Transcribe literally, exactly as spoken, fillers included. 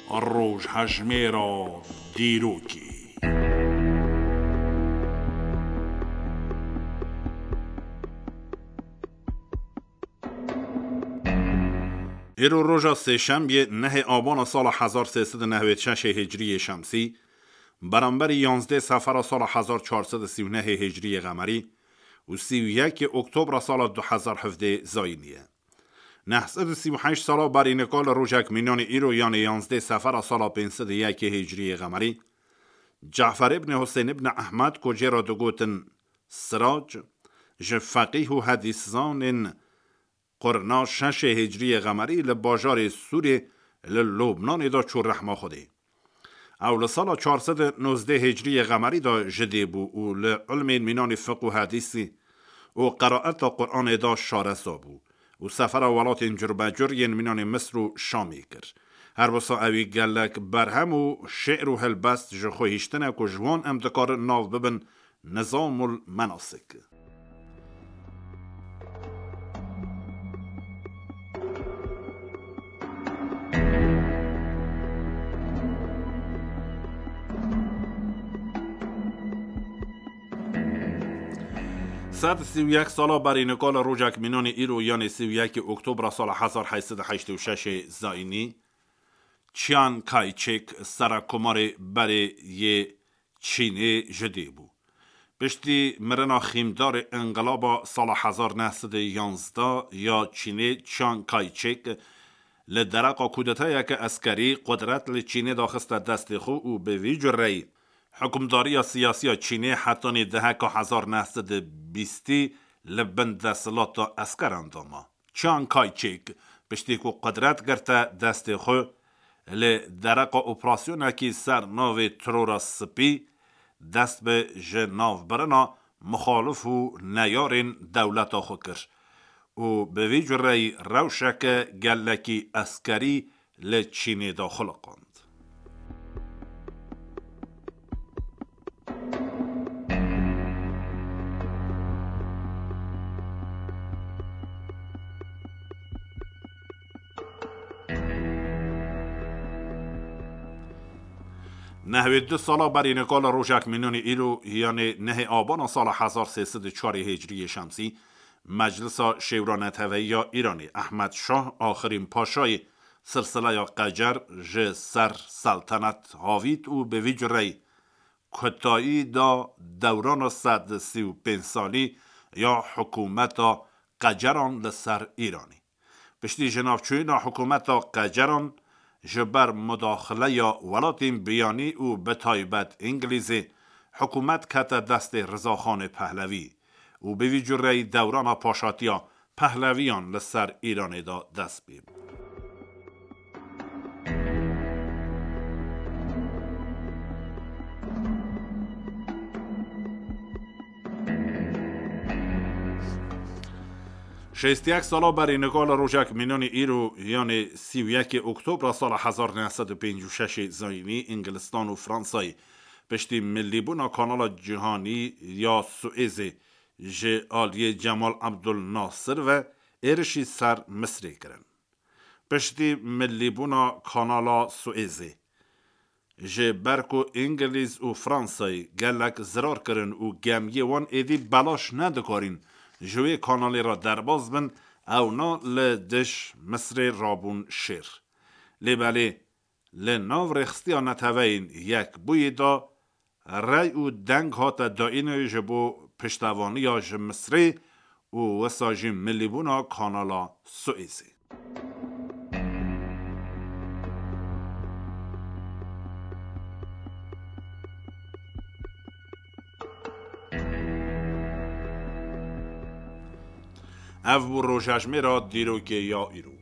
Rojhejmêra dîrokê. Îro roja sêşembiyê nehê abana sala hezar sê sed û nehwêd şeşê hicriyê şemsî, beramberî yanzdê sefera sala hezar çar sed û sî û nehê hicriyê qemerî û sî û yekê oktobra sala du hezar hevdê zayînî ye. Neh sed û sî û heşt sala berî nika li rojek mînanê îro, yanê yanzdê sefera sala pênc sed û yekê hicriyê qemerî, Cafer ibn Husên ibn Ehmed, ku jê re digotin Sirac, ji feqîh û hedîszanên qurna şeşê hicriyê qemerî li bajarê Sûrê li Lubnanê de çû rehma Xwedê. Ew li sala çar sed û nozdeh hicriyê qemerî de ji dê bû û li ilmên mînanê fiqh û hedîsî û qeraeta Quranê de şareza bû û sefera welatên curbecur yên mînanê Misr û Şamê kir. Her wisa ewî gelek berhem û şi'r û helbest ji xwe hiştine ku ji wan em dikarin nav bibin Nizamul Menasik. Sed sî û yek sala berî nika li rojek mînanê îro, yanê sî û yekê oktobra sala hezar heyt sed û heştê û şeşê zayînî, Chiang Kai-shek, serekkomarê berê yê Çînê, ji dê bû. Piştî mirina xîmdarê înqilaba sala hezar neh sed û yanzdeh ya Çînê, Chiang Kai-shek, li dereqa kudetayeke eskerî qudret li Çînê daxiste destê xwe û bi vî cureyî hikûmdariya siyasî ya Çînê hetanî deheka hezar neh sed û bîstî li bin desthilata eskeran de ma. Chiang Kai-shek, piştî ku qudret girte destê xwe, li dereqa operasyonekî ser navê Terora Spî dest bi ji navbirina muxalif û neyarên dewleta xwe kir û bi vî cureyî rewşeke gelekî eskerî li Çînê de xuliqand. Nehwêd du sala berî nika li rojek mînanê îro, yanê nehê abana sala hezar sê sed û çarê hicriyê şemsî, Meclisa Şêwra Neteweyî ya Îranê, Ehmed Şah, axirîn paşayê silsileya Qecer, ji ser seltenet havît û bi vî cureyî kutayî da dewrana sed û sî û pênc salî ya hikûmeta Qeceran li ser Îranê. Piştî jinavçûyîna hikûmeta Qeceran ji ber mudaxileya welatên biyanî û bi taybet Îngilîzê, hikûmet kete destê Rizaxanê Pehlevî û bi vî cureyî dewrana paşatiya Pehleviyan li ser Îranê de dest pê bû. Şêst yek sala berî nika li rojek mînanê îro, yanê sî û yekê oktobra sala hezar neh sed û pêncî û şeşê zayînî, Îngilistan û Fransayê piştî millîbûna Kanala Cîhanî ya Suêzê ji aliyê Cemal Abdul Nasir ve êrişî ser Misrê kirin. Piştî millîbûna Kanala Suêzê, ji ber ku Îngilîz û Fransayê gelek zirar kirin û gemiyê wan êdî belaş nedikarîn ji wê kanalê re derbas bin, ewna li dij Misrê rabûn şêr. Lê belê, li nav rêxistiya Neteweyên Yekbûyî de rey û deng hate dayînê ji bo piştevaniya ji Misrê û wisa jî millîbûna Kanala Suêzê. Ev bû rojhejmêra dîrokê ya îro.